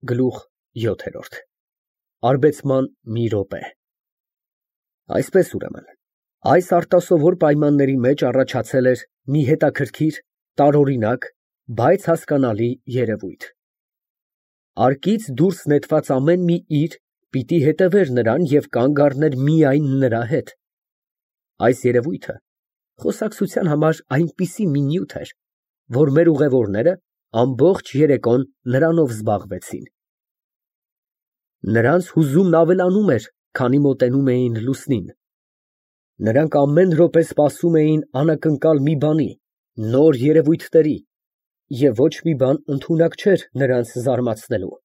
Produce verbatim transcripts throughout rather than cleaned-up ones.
Գլուխ յոթ Արբեցման մի րոպե Այսպես ուրեմն, այս արտասովոր պայմանների մեջ առաջացել էր մի հետաքրքիր, տարօրինակ, բայց հասկանալի երևույթ. արկից դուրս նետված ամեն մի իր պիտի հետևեր նրան և կանգ առներ միայն նրա հետ. այս երևույթը խոսակցության համար այնպիսի մի նյութ էր, որ մեր ուղևորները ամբողջ երեկոն նրանով զբաղվեցին. նրանց հուզումն ավելանում էր, քանի մոտենում էին լուսնին. նրանք ամեն րոպե սպասում էին անակնկալ մի բանի, նոր երևույթների, և ոչ մի բան ընդունակ չէր նրանց զարմացնելու.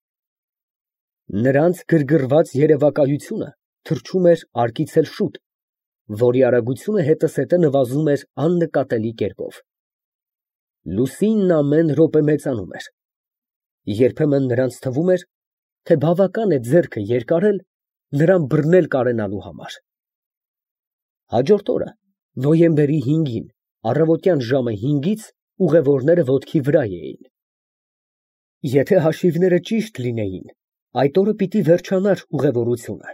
նրանց գրգռված երևակայությունը թռչում էր արկից էլ շուտ, որի արագությունը հետզհետե նվազում էր աննկատելի կերպով. լուսինն ամեն րոպե մեծանում էր. երբեմն նրանց թվում էր, թե բավական է ձեռքը երկարել նրան բռնել կարենալու համար. Հաջորդ օրը նոյեմբերի հինգին առավոտյան ժամը հինգից ուղևորները ոտքի վրա էին. եթե հաշիվները ճիշտ լինեին, այդ օրը պիտի վերջանար ուղևորությունը,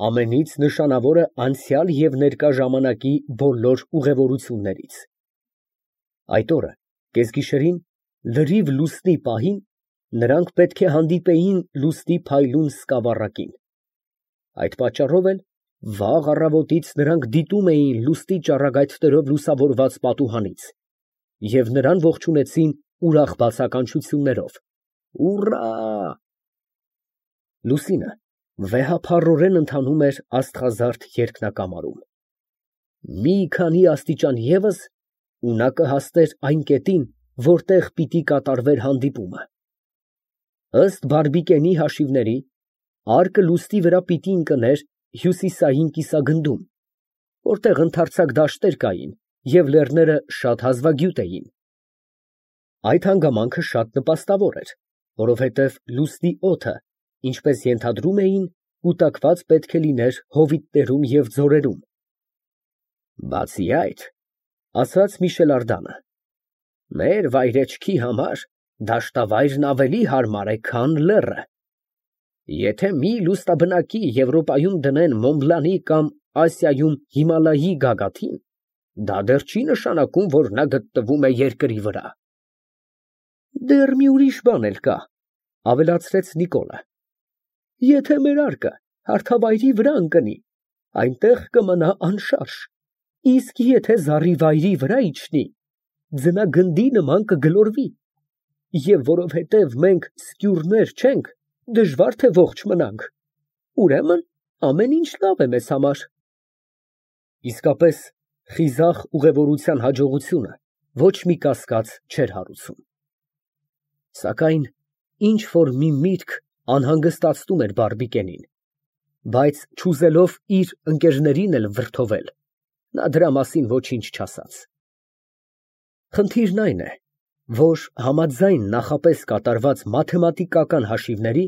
ամենից նշանավորը անցյալ և ներկա ժամանակի բոլոր ուղևորություններից. այդ օրը կեսգիշերին լրիվ լուսնի պահին նրանք պետք է հանդիպեին լուսնի փայլուն սկավառակին. այդ պատճառով էլ վաղ առավոտից նրանք դիտում էին լուսնի ճառագայթներով լուսավորված պատուհանից և նրան ողջունեցին ուրախ բացականչություններով. «Ուռա»։ Լուսինը վեհափառորեն ընթանում էր աստղազարդ երկնակամարում. մի քանի աստիճան ևս, ու նա կհասներ այն կետին, որտեղ պիտի կատարվեր հանդիպումը. ըստ Բարբիկենի հաշիվների, արկը լուսնի վրա պիտի ընկներ հյուսիսային կիսագնդում, որտեղ ընդարձակ դաշտեր կային և լեռները շատ հազվագյուտ էին. այդ հանգամանքը շատ նպաստավոր էր, որովհետև լուսնի օդը, ինչպես ենթադրում էին, կուտակված պետք է լիներ հովիտներում և ձորերում։ Բացի այդ, ասաց Միշելարդանը, մեր վայրեջքի համար դաշտավայրն ավելի հարմար է, քան լեռը. եթե մի լուսնաբնակի Եվրոպայում դնեն Մոնբլանի կամ Ասիայում Հիմալայի գագաթին, դա դեռ չի նշանակում, որ նա գտնվում է երկրի վրա։ Դեռ մի ուրիշ բան էլ կա, ավելացրեց Նիկոլը. եթե մեր արկը հարթավայրի վրա ընկնի, այնտեղ կմնա անշարժ, իսկ եթե զառիվայրի վրա իջնի, ձնագնդի նման կգլորվի, և որովհետև մենք սկյուրներ չենք, դժվար թե ողջ մնանք, ուրեմն ամեն ինչ լավ է մեզ համար։ Իսկապես, խիզախ ուղևորության հաջողությունը ոչ մի կասկած չէր հարուցում։ Սակայն ինչ֊որ մի միտք անհանգստացնում էր Բարբիկենին, բայց չուզելով իր ընկերներին էլ վրդովել, նա դրա մասին ոչինչ չասաց։ Խնդիրն այն է, որ համաձայն նախապես կատարված մաթեմատիկական հաշիվների,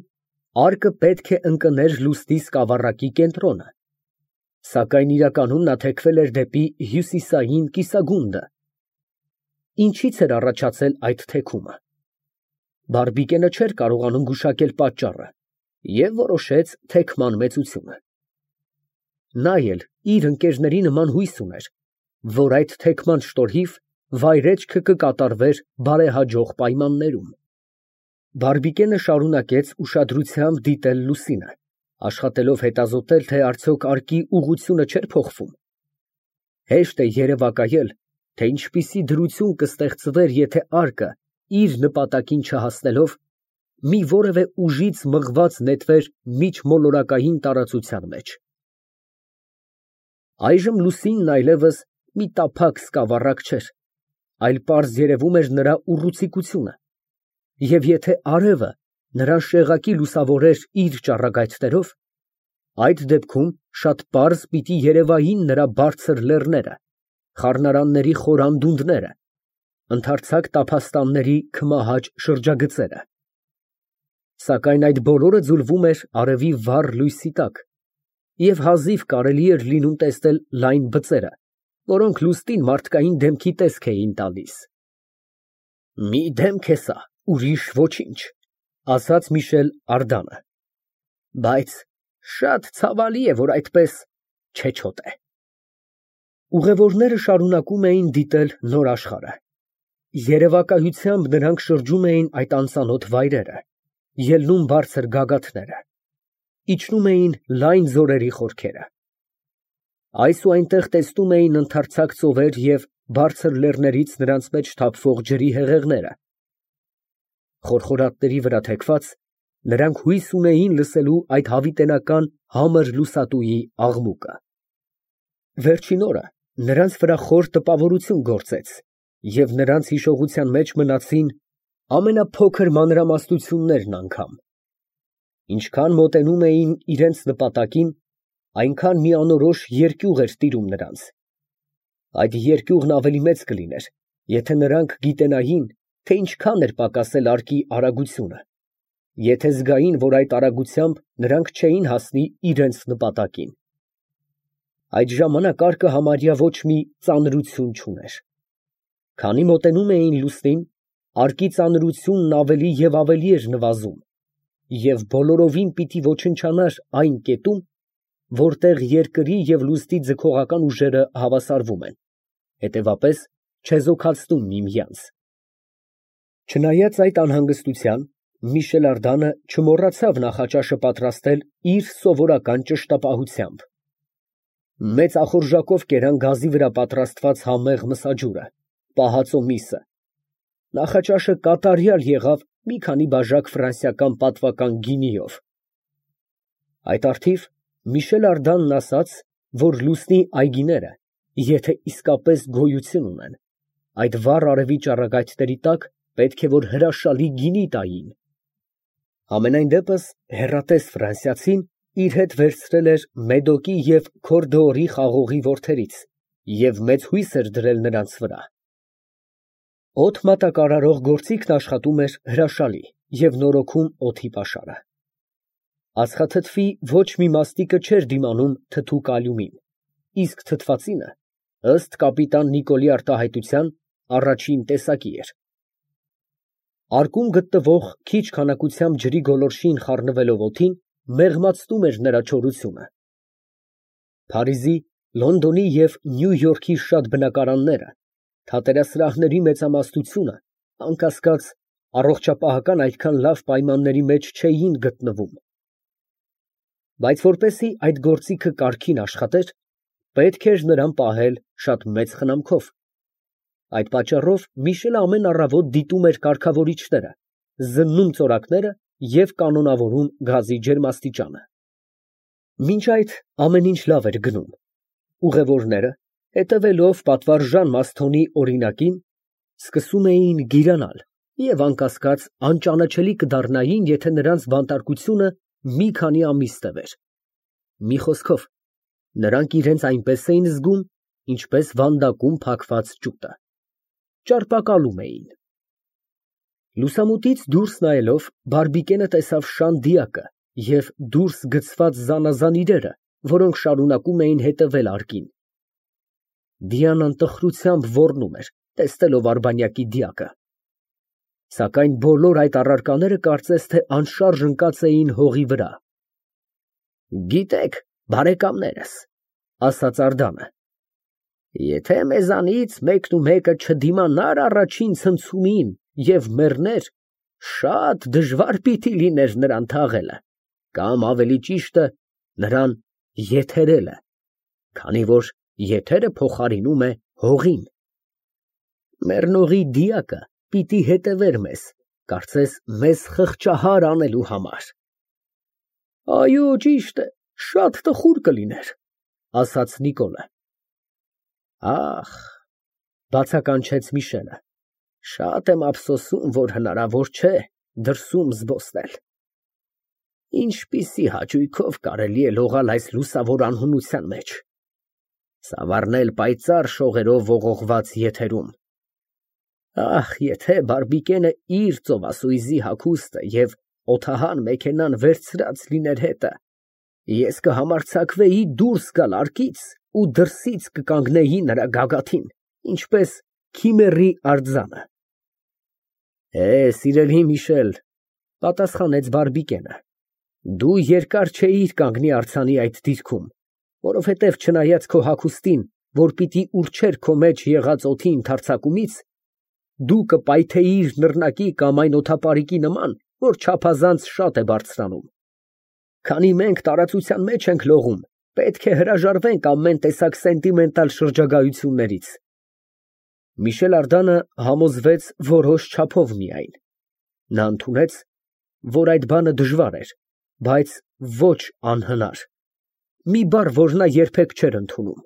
արկը պետք է ընկներ լուսնի սկավառակի կենտրոնը, սակայն իրականում նա թեքվել էր դեպի հյուսիսային կիսագունդը։ Ինչից էր առաջացել այդ թեքումը։ Բարբիկենը չէր կարողանում գուշակել պատճառը և որոշեց թեքման մեծությունը։ Նա էլ իր ընկերների նման հույս ուներ, որ այդ թեքման շնորհիվ վայրեջքը կկատարվեր բարեհաջող պայմաններում։ Բարբիկենը շարունակեց ուշադրությամբ դիտել լուսինը, աշխատելով հետազոտել, թե արդյոք արկի ուղղությունը չէր փոխվում։ Հեշտ է երևակայել, թե ինչպիսի դրություն կստեղծվեր, եթե արկը, իր նպատակին չհասնելով, մի որևէ ուժից մղված նետվեր միջմոլորակային տարածության մեջ։ Այժմ լուսինն այլևս մի տափակ սկավառակ չէր, այլ պարզ երևում էր նրա ուռուցիկությունը, և եթե արևը նրան շեղակի լուսավորեր իր ճառագայթներով, այդ դեպքում շատ պարզ պիտի երևային նրա բարձր լեռները, խառնարանների խոր անդունդները, ընդարձակ տափաստանների քմահաճ շրջագծերը։ Սակայն այդ բոլորը ձուլվում էր արևի վառ լույսի տակ, և հազիվ կարելի էր լինում տեսնել լայն բծերը, որոնք լուսնին մարդկային դեմքի տեսք էին տալիս։ Մի դեմք է սա, ուրիշ ոչինչ, ասաց Միշել Արդանը, բայց շատ ցավալի է, որ այդպես չեչոտ է։ Ուղևորները շարունակում էին դիտել նոր աշխարհը։ Երևակայությամբ նրանք շրջում էին այդ անծանոթ վայրերը, ելնում բարձր գագաթները, իջնում էին լայն ձորերի խորքերը։ Այս ու այնտեղ տեսնում էին ընդարձակ ծովեր և բարձր լեռներից նրանց մեջ թափվող ջրի հեղեղները։ Խորխորատների վրա թեքված, նրանք հույս ունեին լսելու այդ հավիտենական համր լուսատուի աղմուկը։ Վերջին օրը նրանց վրա խոր տպավորություն գործեց, և նրանց հիշողության մեջ մնացին ամենափոքր մանրամասնություններն անգամ։ Ինչքան մոտենում էին իրենց նպատակին, այնքան մի անորոշ երկյուղ էր տիրում նրանց։ Այդ երկյուղն ավելի մեծ կլիներ, եթե նրանք գիտենային, թե ինչքան էր պակասել արկի արագությունը, եթե զգային, որ այդ արագությամբ նրանք չէին հասնի իրենց նպատակին։ Այդ ժամանակ արկը համարյա ոչ մի ծանրություն չուներ։ Քանի մոտենում էին լուսնին, արկի ծանրությունն ավելի և ավելի էր նվազում, և բոլորովին պիտի ոչնչանար այն կետում, որտեղ երկրի և լուսնի ձգողական ուժերը հավասարվում են, հետևապես չեզոքացնում միմյանց։ Չնայած այդ անհանգստության, Միշել Արդանը չմոռացավ նախաճաշը պատրաստել իր սովորական ճշտապահությամբ։ Մեծ ախորժակով կերան գազի վրա պատրաստված համեղ մսաջուրը, պահածո միսը։ Նախաճաշը կատարյալ եղավ մի քանի բաժակ ֆրանսիական պատվական գինիով։ Այդ առթիվ Միշել Արդանն ասաց, որ լուսնի այգիները, եթե իսկապես գոյություն ունեն, այդ վառ արևի ճառագայթների տակ պետք է որ հրաշալի գինի տային։ Համենայն դեպս հեռատես ֆրանսիացին իր հետ վերցրել էր Մեդոկի և Քորդոորի խաղողի որդերից և մեծ հույս էր դրել նրանց վրա։ Օդ մատակարարող գործիքն աշխատում էր հրաշալի և նորոգում օդի պաշարը։ Ածխաթթվի ոչ մի մաստիկը չէր դիմանում թթու կալիումին, իսկ թթվածինը, ըստ կապիտան Նիկոլի արտահայտության, առաջին տեսակի էր։ Արկում գտնվող քիչ քանակությամբ ջրի գոլորշին խառնվելով օդին, մեղմացնում էր նրա չորությունը։ Փարիզի, Լոնդոնի և Նյու Յորքի շատ բնակարանները, թատերասրահների մեծամասնությունը, անկասկած, առողջապահական այդքան լավ պայմանների մեջ չէին գտնվում։ Բայց որպեսզի այդ գործիքը կարգին աշխատեր, պետք էր նրան պահել շատ մեծ խնամքով։ Այդ պատճառով Միշելը ամեն առավոտ դիտում էր կարգավորիչները, զննում ծորակները և կանոնավորում գազի ջերմաստիճանը։ Մինչ այդ ամեն ինչ լավ էր գնում։ Ուղևորները, հետևելով պատվարժան Մասթոնի օրինակին, սկսում էին գիրանալ և, անկասկած, անճանաչելի կդառնային, եթե նրանց բանտարկությունը մի քանի ամիս տևեր։ Մի խոսքով, նրանք իրենց այնպես էին զգում, ինչպես վանդակում փակված ջուտը։ Ճարպակալում էին։ Լուսամուտից դուրս նայելով, Բարբիկենը տեսավ շան դիակը և դուրս գցված զանազան իրերը, որոնք շարունակում էին հետևել արկին։ Դիանան տխրությամբ ոռնում էր, տեսնելով արբանյակի դիակը։ Սակայն բոլոր այդ առարկաները կարծես թե անշարժ ընկած էին հողի վրա։ Գիտեք, բարեկամներս, ասաց Արդանը, եթե մեզանից մեկնումեկը չդիմանար առաջին ցնցումին և մեռներ, շատ դժվար պիտի լիներ նրան թաղելը, կամ ավելի ճիշտը, նրան եթերելը, քանի որ եթերը փոխարինում է հողին։ Մեռնողի դիակը պիտի հետևեր մեզ, կարծես մեզ խղճահար անելու համար։ Այո, ճիշտ է, շատ տխուր կլիներ, ասաց Նիկոլը։ Ախ, բացականչեց Միշելը, շատ եմ ափսոսում, որ հնարավոր չէ դրսում զբոսնել։ Ինչպիսի հաճույքով կարելի է լողալ այս լուսավոր անհունության մեջ, ծավառնել պայծառ շողերով ողողված եթերում։ Ախ, եթե Բարբիկենը իր ծովասույզի հագուստը և օդահան մեքենան վերցրած լիներ հետը, ես կհամարձակվեի դուրս գալ արկից ու դրսից կկանգնեի նրա գագաթին, ինչպես քիմերի արձանը։ Է, սիրելի Միշել, Պատասխանեց Բարբիկենը։ Դու երկար չէիր կանգնի արձանի այդ դիրքում, որովհետև չնայած քո հագուստին, որ պիտի ուռչեր քո մեջ եղած օդի ընդարձակումից, դու կպայթեիր նռնակի կամ այն օդապարիկի նման, որ չափազանց շատ է բարձրանում։ Քանի մենք տարածության մեջ ենք լողում, պետք է հրաժարվենք ամեն տեսակ սենտիմենտալ շրջագայություններից։ Միշել Ардանը համոզվեց որոշ չափով միայն։ Նա ընդունեց, որ այդ բանը դժվար էր, բայց ոչ անհնար, մի բառ, որ նա երբեք չէր ընդունում։